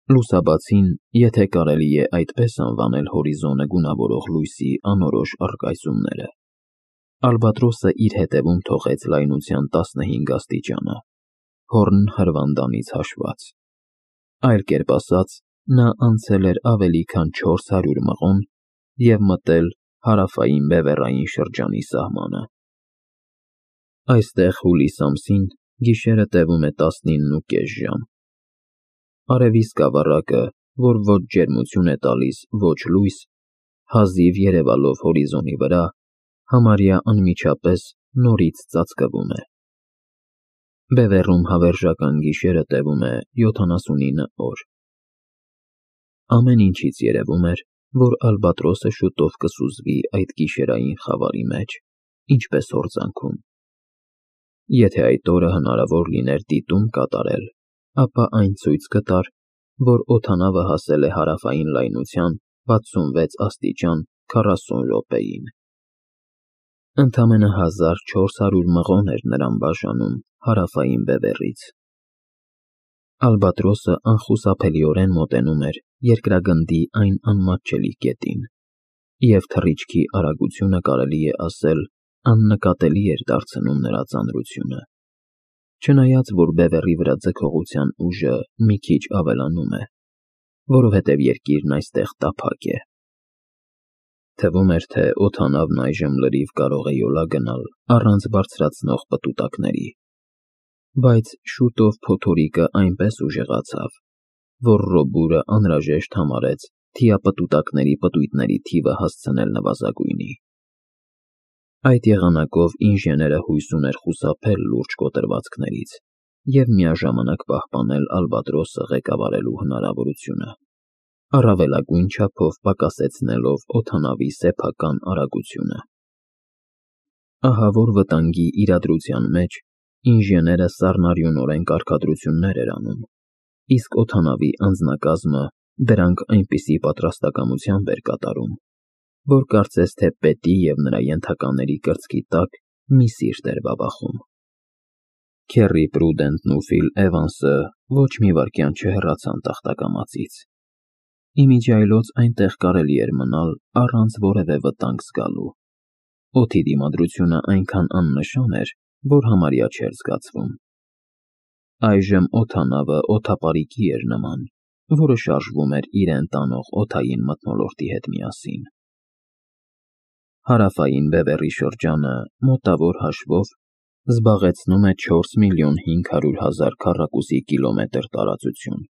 Լուսաբացին, եթե կարելի է այդպես անվանել հորիզոնը գունավորող լույսի անորոշ առկայծումները, Ալբատրոսը իր հետևում թողեց լայնության 15 աստիճանը, հորն հրվանդանից հաշված։ Այլ կերպ ասած, նա անցել էր ավելի քան 400 մղոն և մտել հարավային բևեռային շրջանի սահմանը։ Այստեղ հուլիս ամսին գիշերը տևում է 19.5 ժամ։ Արևի սկավառակը, որ ոչ ջերմություն է տալիս, ոչ լույս, հազիվ երևալով հորիզոնի վրա, համարյա անմիջապես նորից ծածկվում է։ Բևեռում հավերժական գիշերը տևում է 79 օր։ Ամեն ինչից երևում էր, որ Ալբատրոսը շուտով կսուզվի այդ գիշերային խավարի մեջ, ինչպես հորձանքում։ Եթե այդ օրը հնարավոր լիներ դիտում կատարել, ապա այն ցույց կտար, որ օդանավը հասել է հարավային լայնության 66 աստիճան 40 րոպեին։ Ընդամենը 1400 մղոն էր նրան բաժանում հարավային բևեռից։ Ալբատրոսը անխուսափելիորեն մոտենում էր երկրագնդի այն անմատչելի կետին, և թռիչքի արագությունը, կարելի է ասել, աննկատելի էր դարձնում նրա ծանրությունը, չնայած որ բևեռի վրա ձգողության ուժը մի քիչ ավելանում է, որովհետև երկիրն այստեղ տափակ է։ Թվում էր, թե օդանավն այժմ լրիվ կարող է յոլա գնալ առանց բարձրացնող պտուտակների, բայց շուտով փոթորիկը այնպես ուժեղացավ, որ Ռոբուրը անհրաժեշտ համարեց թիապտուտակների պտույտների թիվը հասցնել նվազագույնի։ Այդ եղանակով ինժեները հույս ուներ խուսափել լուրջ կոտրվածքներից և միաժամանակ պահպանել Ալբատրոսը ղեկավարելու հնարավորությունը, առավելագույն չափով պակասեցնելով օդանավի սեփական արագությունը։ Ահավոր վտանգի իրադրության մեջ ինժեները սառնարյունորեն կարգադրություններ էր անում, իսկ օդանավի անձնակազմը դրանք այնպիսի պատրաստակամությամբ էր կատարում, որ կարծես թե պետի և նրա ենթակաների կրծքի տակ մի սիրտ էր բաբախում։ Քերի Պրուդենտն ու Ֆիլ Էվանսը ոչ մի վայրկյան չհեռացան տախտակամածից։ Իմիջիայլոց այնտեղ կարելի էր մնալ առանց որևէ վտանգ զգալու։ Օդի դիմադրությունը այնքան աննշան էր, որ համարյա չէր զգացվում։ Այժմ օդանավը օդապարիկի էր նման, որը շարժվում էր իրեն տանող օդային մթնոլորտի հետ միասին։ Հարավային բևեռի շրջանը մոտավոր հաշվով զբաղեցնում է 4 միլիոն 500 հազար քառակուսի կիլոմետր տարածություն։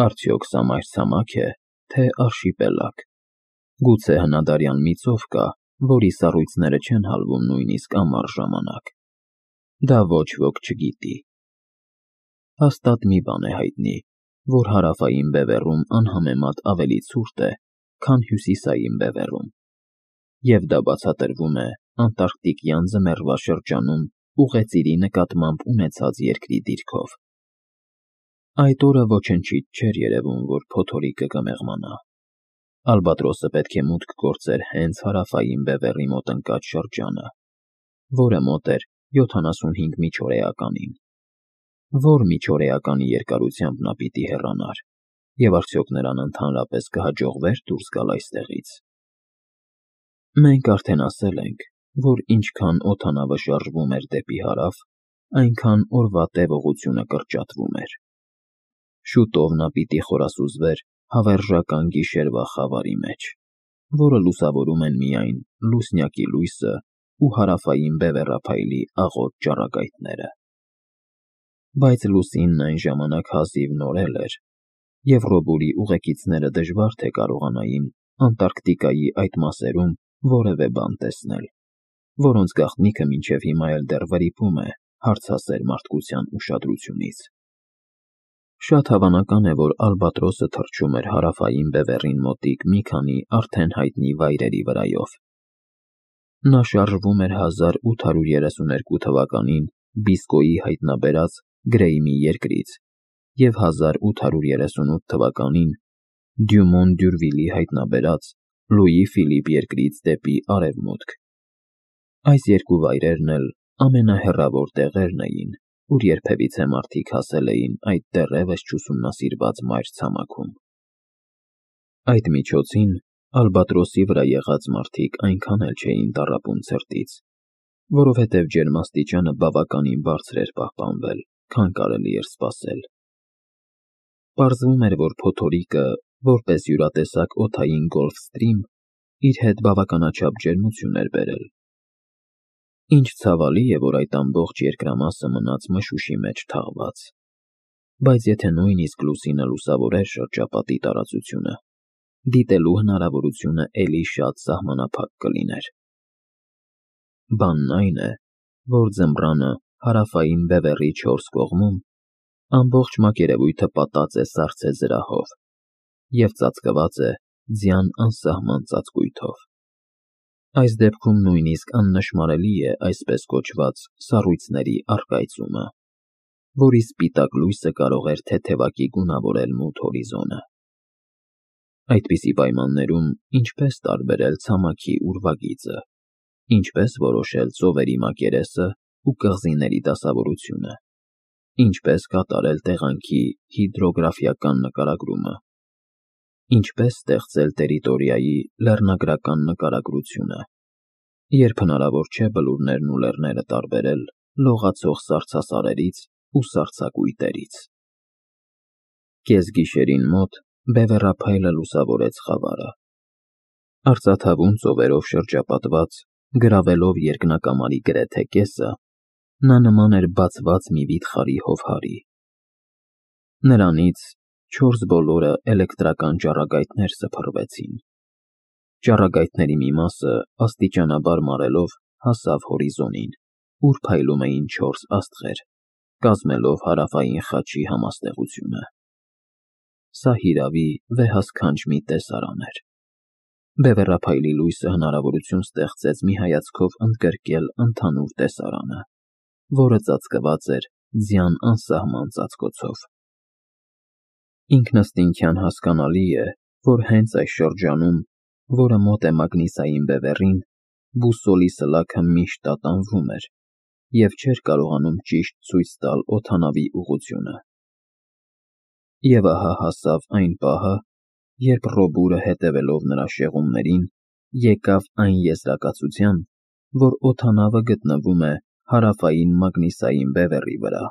Արդյոք սա մայրցամաք է, թե արշիպելագ։ Գուցե հնադարյան մի ծով կա, որի սառույցները չեն հալվում նույնիսկ ամառ ժամանակ։ Դա ոչ ոք չգիտի։ Հաստատ մի բան է հայտնի, որ հարավային բևեռում անհամեմատ ավելի ցուրտ է, քան հյուսիսային բևեռում, և դա բացատրվում է անտարկտիկյան ձմեռվա շրջանում ուղեծիրի նկատմամբ ունեցած երկրի դիրքով։ Այդ օրը ոչնչից չէր երևում, որ փոթորիկը կմեղմանա։ Ալբատրոսը պետք է մուտք գործեր հենց հարավային բևեռի մոտ ընկած շրջանը, որը մոտ էր 75 միջօրեականին։ Որ միջօրեականի երկարությամբ նա պիտի հեռանար, և արդյոք նրան ընդհանրապես կհաջողվեր դուրս գալ այստեղից։ Մենք արդեն ասել ենք, որ ինչքան օդանավը շարժվում էր դեպի հարավ, այնքան օրվա տևողությունը կրճատվում էր։ Շուտով նա պիտի խորասուզվեր հավերժական գիշերվա խավարի մեջ, որը լուսավորում են միայն լուսնյակի լույսը ու հարավային բևեռափայլի աղոտ ճառագայթները։ Բայց լուսինն այն ժամանակ հազիվ նորել էր, և Ռոբուրի ուղեկիցները դժվար թե կարողանային Անտարկտիկայի այդ մասերում որևէ բան տեսնել, որոնց գաղտնիքը մինչև հիմա էլ դեռ վրիպում է հարցասեր մարդկության ուշադրությունից։ Շատ հավանական է, որ Ալբատրոսը թռչում էր հարավային բևեռին մոտիկ մի քանի արդեն հայտնի վայրերի վրայով։ Նա շարժվում էր 1832 թվականին Բիսկոյի հայտնաբերած Գրեյմի երկրից և 1838 թվականին Դյումոն Դյուրվիլի հայտնաբերած Լուի Ֆիլիպ երկրից դեպի արևմուտք։ Այս երկու վայրերն էլ ամենահեռավոր տեղերն էին, ուր երբևիցե մարդիկ հասել էին այդ դեռևս չուսումնասիրված մայր-ցամաքում։ Այդ միջոցին Ալբատրոսի վրա եղած մարդիկ այնքան էլ չէին տառապում ցրտից, որովհետև ջերմաստիճանը բավականին բարձր էր պահպանվել, քան կարելի էր սպասել։ Պարզվում էր, որ փոթորիկը, որպես յուրատեսակ օդային Գոլֆստրիմ, իր հետ բավականաչափ ջերմություն էր բերել։ Ինչ ցավալի է, որ այդ ամբողջ երկրամասը մնաց մշուշի մեջ թաղված։ Բայց եթե նույնիսկ լուսինը լուսավորեր շրջապատի տարածությունը, դիտելու հնարավորությունը էլի շատ սահմանափակ կլիներ։ Բանն այն է, որ ձմռանը հարավային բևեռի 4 կողմում ամբողջ մակերևույթը պատած է սառցե զրահով և ծածկված է ձյան անսահման ծածկույթով։ Այս դեպքում նույնիսկ աննշմարելի է այսպես կոչված սառույցների առկայծումը, որի սպիտակ լույսը կարող էր թեթևակի գունավորել մութ հորիզոնը։ Այդպիսի պայմաններում ինչպես տարբերել ցամաքի ուրվագիծը, ինչպես որոշել ծովերի մակերեսը ու կղզիների դասավորությունը, ինչպես կատարել տեղանքի հիդրոգրաֆիական նկարագրումը, ինչպես ստեղծել տերիտորիայի լեռնագրական նկարագրությունը, երբ հնարավոր չէ բլուրներն ու լեռները տարբերել լողացող սառցասարերից ու սառցակույտերից։ Կեսգիշերին մոտ բևեռափայլը լուսավորեց խավարը։ Արծաթավուն ծովերով շրջապատված, գրավելով երկնակամարի գրեթե կեսը, նա նման էր բացված մի վիթխարի հովհարի։ Նրանից 4 բոլորը էլեկտրական ճառագայթներ սփռվեցին։ Ճառագայթների մի մասը աստիճանաբար մարելով հասավ հորիզոնին, ուր փայլում էին 4 աստղեր, կազմելով հարավային խաչի համաստեղությունը։ Սա հիրավի վեհասքանչ մի տեսարան էր։ Բևեռափայլի լույսը հնարավորություն ստեղծեց մի հայացքով ընդգրկել ընդհանուր տեսարանը, որը ծածկված էր ձյան անսահման ծածկոցով։ Ինքնըստինքյան հասկանալի է, որ հենց այս շրջանում, որը մոտ է Մագնիսային բևեռին, բուսոլի սլաքը միշտ տատանվում էր և չէր կարողանում ճիշտ ցույց տալ օդանավի ուղղությունը։ Եվ ահա հասավ այն պահը, երբ Ռոբուրը, հետևելով նրա շեղումներին, եկավ այն եզրակացության, որ օդանավը գտնվում է հարավային Մագնիսային բևեռի վրա,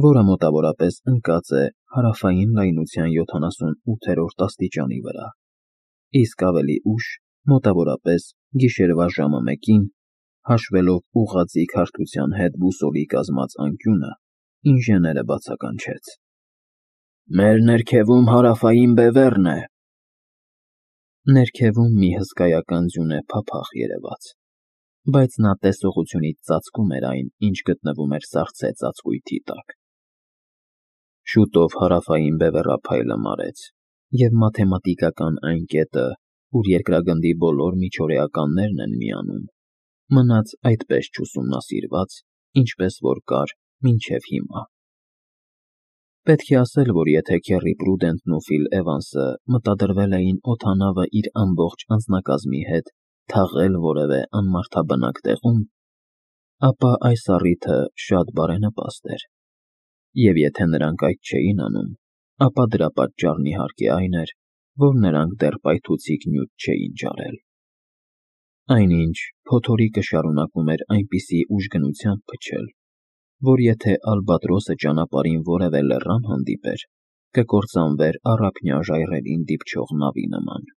որը մոտավորապես ընկած է հարավային լայնության 78-րդ աստիճանի վրա, իսկ ավելի ուշ, մոտավորապես գիշերվա ժամը 1-ին, հաշվելով ուղղաձիգ հարթության հետ բուսոլի կազմած անկյունը, ինժեները բացականչեց. «Մեր ներքևում հարավային բևեռն է»։ Ներքևում մի հսկայական ձյունե փափախ երևաց, բայց նա տեսողությունից ծածկում էր այն, ինչ գտնվում էր սառցե ծածկույթի տակ։ Շուտով հարավային բևեռափայլը մարեց, և մաթեմատիկական այն կետը, ուր երկրագնդի բոլոր միջօրեականներն են միանում, մնաց այդպես չուսումնասիրված, ինչպես որ կար մինչև հիմա։ Պետք է ասել, որ եթե Քերի Պրուդենտն ու Ֆիլ Էվանսը մտադրվել էին օդանավը իր ամբողջ անձնակազմի հետ թաղել որևէ անմարդաբնակ տեղում, ապա այս առիթը շատ բարենպաստ էր, և եթե նրանք այդ չէին անում, ապա դրա պատճառն իհարկե այն էր, որ նրանք դեռ պայթուցիկ նյութ չէին ջարել։ Այնինչ փոթորիկը շարունակում էր այնպիսի ուժգնությամբ փչել, որ եթե Ալբատրոսը ճանապարհին որևէ լեռան հանդիպեր, կկործանվեր առափնյա ժայռերին դիպչող նավի նման։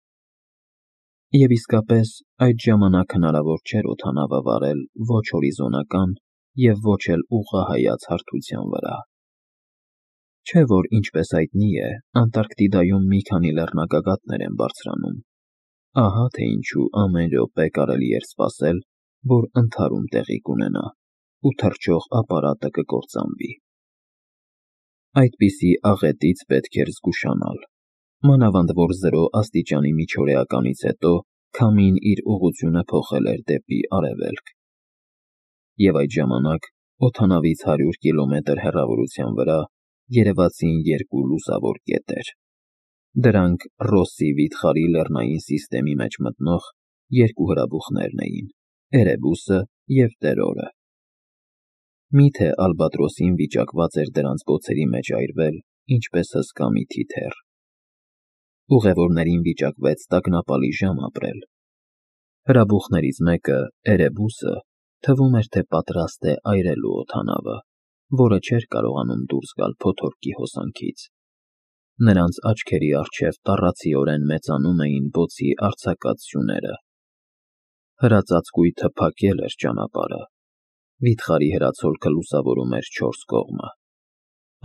Եվ իսկապես այդ ժամանակ հնարավոր չէր օդանավը վարել ոչ հորիզոնական և ոչ էլ ուղղահայաց հարթության վրա։ Չէ որ, ինչպես հայտնի է, Անտարկտիդայում մի քանի լեռնագագաթներ են բարձրանում, ահա թե ինչու ամեն րոպե կարելի էր սպասել, որ ընդհարում տեղի կունենա, ու թռչող ապարատը կկործանվի։ Այդպիսի աղետից պետք էր զգուշանալ, մանավանդ որ 0 աստիճանի միջօրեականից հետո քամին իր ուղղությունը փոխել էր դեպի արևելք։ Եվ այդ ժամանակ օդանավից 100 կիլոմետր հեռավորության վրա երևացին 2 լուսավոր կետեր։ Դրանք Ռոսսի վիթխարի լեռնային սիստեմի մեջ մտնող 2 հրաբուխներն էին՝ Էրեբուսը և Տերորը։ Միթե ալբատրոսին վիճակված էր դրանց բոցերի մեջ այրվել, ինչպես հսկա մի թիթեռ։ Ուղևորներին վիճակվեց տագնապալի ժամ ապրել։ Հրաբուխներից մեկը, Էրեբուսը, թվում էր, թե պատրաստ է այրելու օդանավը, որը չէր կարողանում դուրս գալ փոթորկի հոսանքից։ Նրանց աչքերի առջև տառացիորեն մեծանում էին բոցի արձակած սյուները։ Հրածածկույթը փակել էր ճանապարհը։ Վիթխարի հրացոլքը լուսավորում էր չորս կողմը։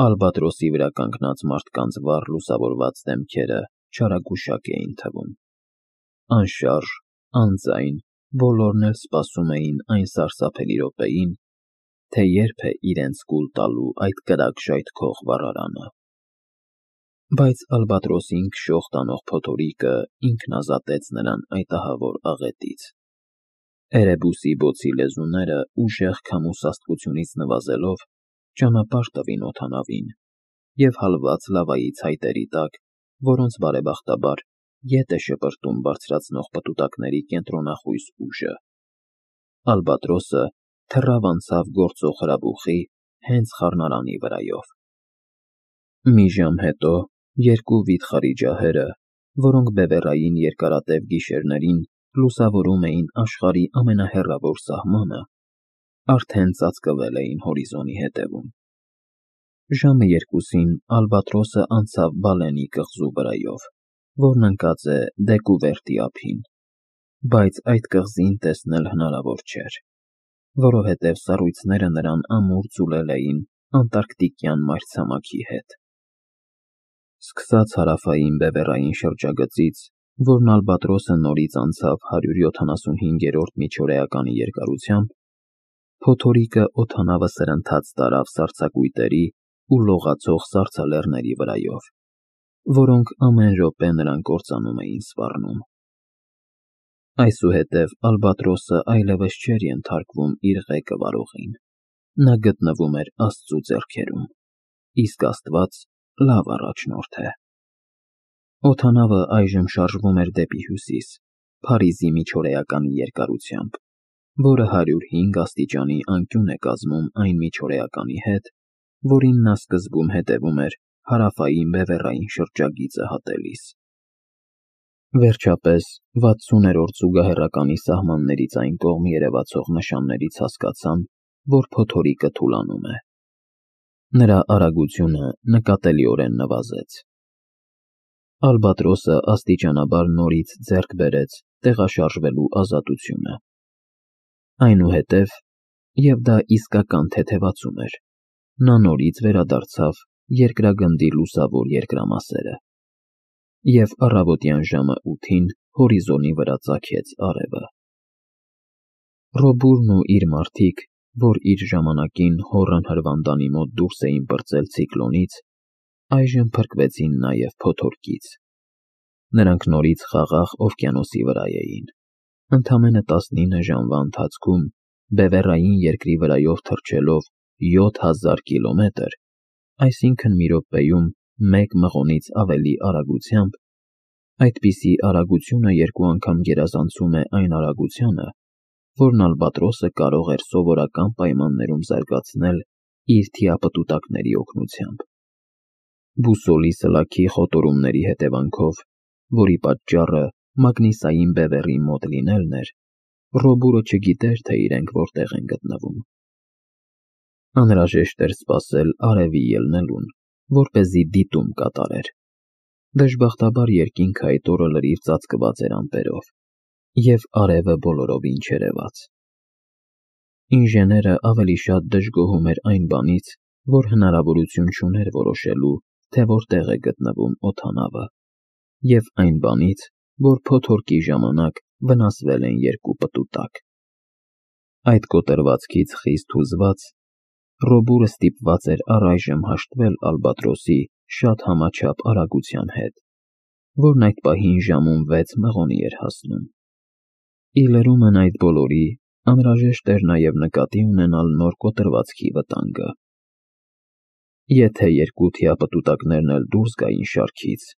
Ալբատրոսի վրա կանգնած մարդկանց վառ լուսավորված դեմքերը չարագուշակ էին թվում։ Անշարժ, անձայն, բոլորն էլ սպասում էին այն սարսափելի րոպեին, թե երբ է իրենց կուլ տալու այդ կրակ ժայթքող վառարանը։ Բայց ալբատրոսին քշող տանող փոթորիկը ինքն ազատեց նրան այդ ահավոր աղետից։ Էրեբուսի բոցի լեզուները ուժեղ քամու նվազելով ճանապարհ տվին օդանավին և հալված լավայի ցայտերի տակ, որոնց բարեբախտաբար ետ է շպրտում բարձրացնող պտուտակների կենտրոնախույս ուժը։ Ալբատրոսը թռավ անցավ գործող հրաբուխի հենց խառնարանի վրայով։ Մի ժամ հետո երկու վիթխարի ջահերը, որոնք բևեռային երկարատև գիշերներին լուսավորում էին աշխարհի ամենահեռավոր սահմանը, արդեն ծածկվել էին հորիզոնի հետևում։ Ժամը 2-ին ալբատրոսը անցավ Բալենի կղզու վրայով, որն ընկած է Դեկուվերտի ափին, բայց այդ կղզին տեսնել հնարավոր չէր, որովհետև սառույցները նրան ամուր ձուլել էին անտարկտիկյան մայրցամաքի հետ։ Սկսած հարավային բևեռային շրջագծից, որն ալբատրոսը նորից անցավ 175-րդ միջօրեականի երկարությամբ, փոթորիկը օդանավը սրընթաց տարավ սառցակույտերի ու լողացող սառցալեռների վրայով, որոնք ամեն րոպե նրան կործանում էին սպառնում։ Այսուհետև ալբատրոսը այլևս չէր ենթարկվում իր ղեկը վարողին։ Նա գտնվում էր Աստծու ձեռքերում, իսկ Աստված լավ առաջնորդ է։ Օդանավը այժմ շարժվում էր դեպի հյուսիս, Փարիզի միջօրեականի երկարությամբ, որը 105 աստիճանի անկյուն է կազմում այն միջօրեականի հետ, որին նա սկզբում հետևում էր հարավային բևեռային շրջագիծը հատելիս։ Վերջապես 60-րդ զուգահեռականի սահմաններից այն կողմ երևացող նշաններից հասկացան, որ փոթորիկը թուլանում է։ Նրա արագությունը նկատելիորեն նվազեց։ Ալբատրոսը աստիճանաբար նորից ձեռք բերեց տեղաշարժվելու ազատությունը։ Այնուհետև, և դա իսկական թեթևացում էր, նա նորից վերադարձավ երկրագնդի լուսավոր երկրամասերը, և առավոտյան ժամը 8-ին հորիզոնի վրա ծագեց արևը։ Ռոբուրն ու իր մարդիկ, որ իր ժամանակին հոռն հրվանդանի մոտ դուրս էին պրծել ցիկլոնից, այժմ փրկվեցին նաև փոթորկից։ Նրանք նորից խաղաղ օվկիանոսի վրա էին։ Ընդամենը 19 ժամվա ընթացքում, բևեռային երկրի վրայով թռչելով 7000 կիլոմետր, այսինքն մի րոպեում 1 մղոնից ավելի արագությամբ, այդպիսի արագությունը 2 անգամ գերազանցում է այն արագությանը, որն ալբատրոսը կարող էր սովորական պայմաններում զարգացնել իր թիապտուտակների օգնությամբ։ Բուսոլի սլաքի խոտորումների հետևանքով, որի պատճառը մագնիսային բևեռի մոտ լինելն էր, Ռոբուրը չգիտեր, թե իրենք որտեղ են գտնվում։ Անհրաժեշտ էր սպասել արևի ելնելուն, որպեսզի դիտում կատարեր։ Դժբախտաբար երկինքը այդ օրը լրիվ ծածկված էր ամպերով, և արևը բոլորովին չերևաց։ Ինժեները ավելի շատ դժգոհում էր այն բանից, որ հնարավորություն չուներ որոշելու, թե որտեղ է գտնվում օդանավը, և այն բանից, որ փոթորկի ժամանակ վնասվել են 2 պտուտակ։ Այդ կոտրվածքից խիստ հուզված, Ռոբուրը ստիպված էր առայժմ հաշտվել ալբատրոսի շատ համաչափ արագության հետ, որն այդ պահին ժամում 6 մղոնի էր հասնում։ Ի լրումն այդ բոլորի, անհրաժեշտ էր նաև նկատի ունենալ նոր կոտրվածքի վտանգը։ Եթե 2 թիապտուտակներն էլ դուրս գային շարքից,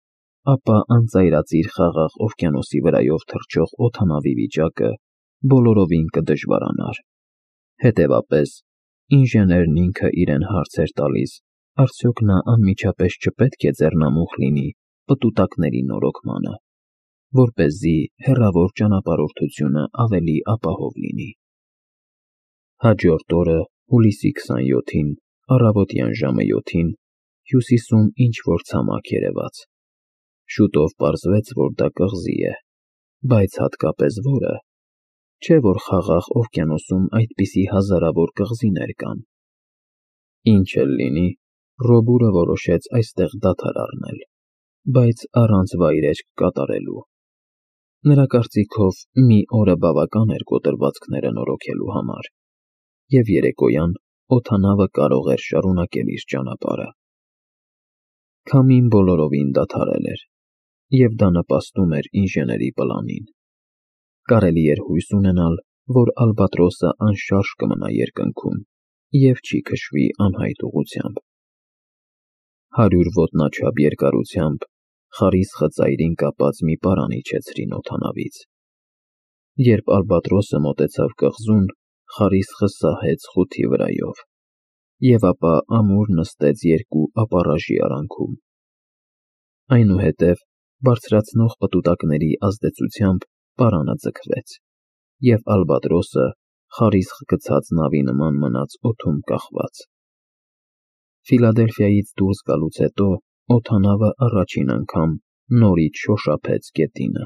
ապա անծայրածիր խաղաղ օվկիանոսի վրայով թռչող օդանավի վիճակը բոլորովին կդժվարանար։ Հետևապես, Ինժեներն ինքը իրեն հարց էր տալիս, արդյոք նա անմիջապես չպետք է ձեռնամուխ լինի պտուտակների նորոգմանը, որպեսզի հեռավոր ճանապարհորդությունը ավելի ապահով լինի։ Հաջորդ օրը, հուլիսի 27-ին, առավոտյան ժամը 7-ին, հյուսիսում ինչ-որ ցամաք երևաց։ Շուտով պարզվեց, որ դա կղզի է, բայց հատկապես որը, չէ՞ որ Խաղաղ օվկիանոսում այդպիսի հազարավոր կղզիներ կան։ Ինչ էլ լինի, Ռոբուրը որոշեց այստեղ դադար առնել, բայց առանց վայրէջք կատարելու։ Նրա կարծիքով մի օրը բավական էր կոտրվածքները նորոգելու համար, և երեկոյան օդանավը կարող էր շարունակել իր ճանապարհը։ Քամին բոլորովին դադարել էր, և դա նպաստում էր ինժեների պլանին։ Կարելի էր հույս ունենալ, որ Ալբատրոսը անշարժ կմնա երկնքում և չի քշվի անհայտ ուղղությամբ։ 100 ոտնաչափ երկարությամբ խարիսխը ծայրին կապած մի պարան իջեցրին օդանավից։ Երբ Ալբատրոսը մոտեցավ կղզուն, խարիսխը սահեց խութի վրայով, և ապա ամուր նստեց երկու ապառաժի արանքում։ Այնուհետև բարձրացնող պտուտակների ազդեցությամբ պարանը ձգվեց, և Ալբատրոսը խարիսխ գցած նավի նման մնաց օդում կախված։ Ֆիլադելֆիայից դուրս գալուց հետո օդանավը առաջին անգամ նորից շոշափեց գետինը։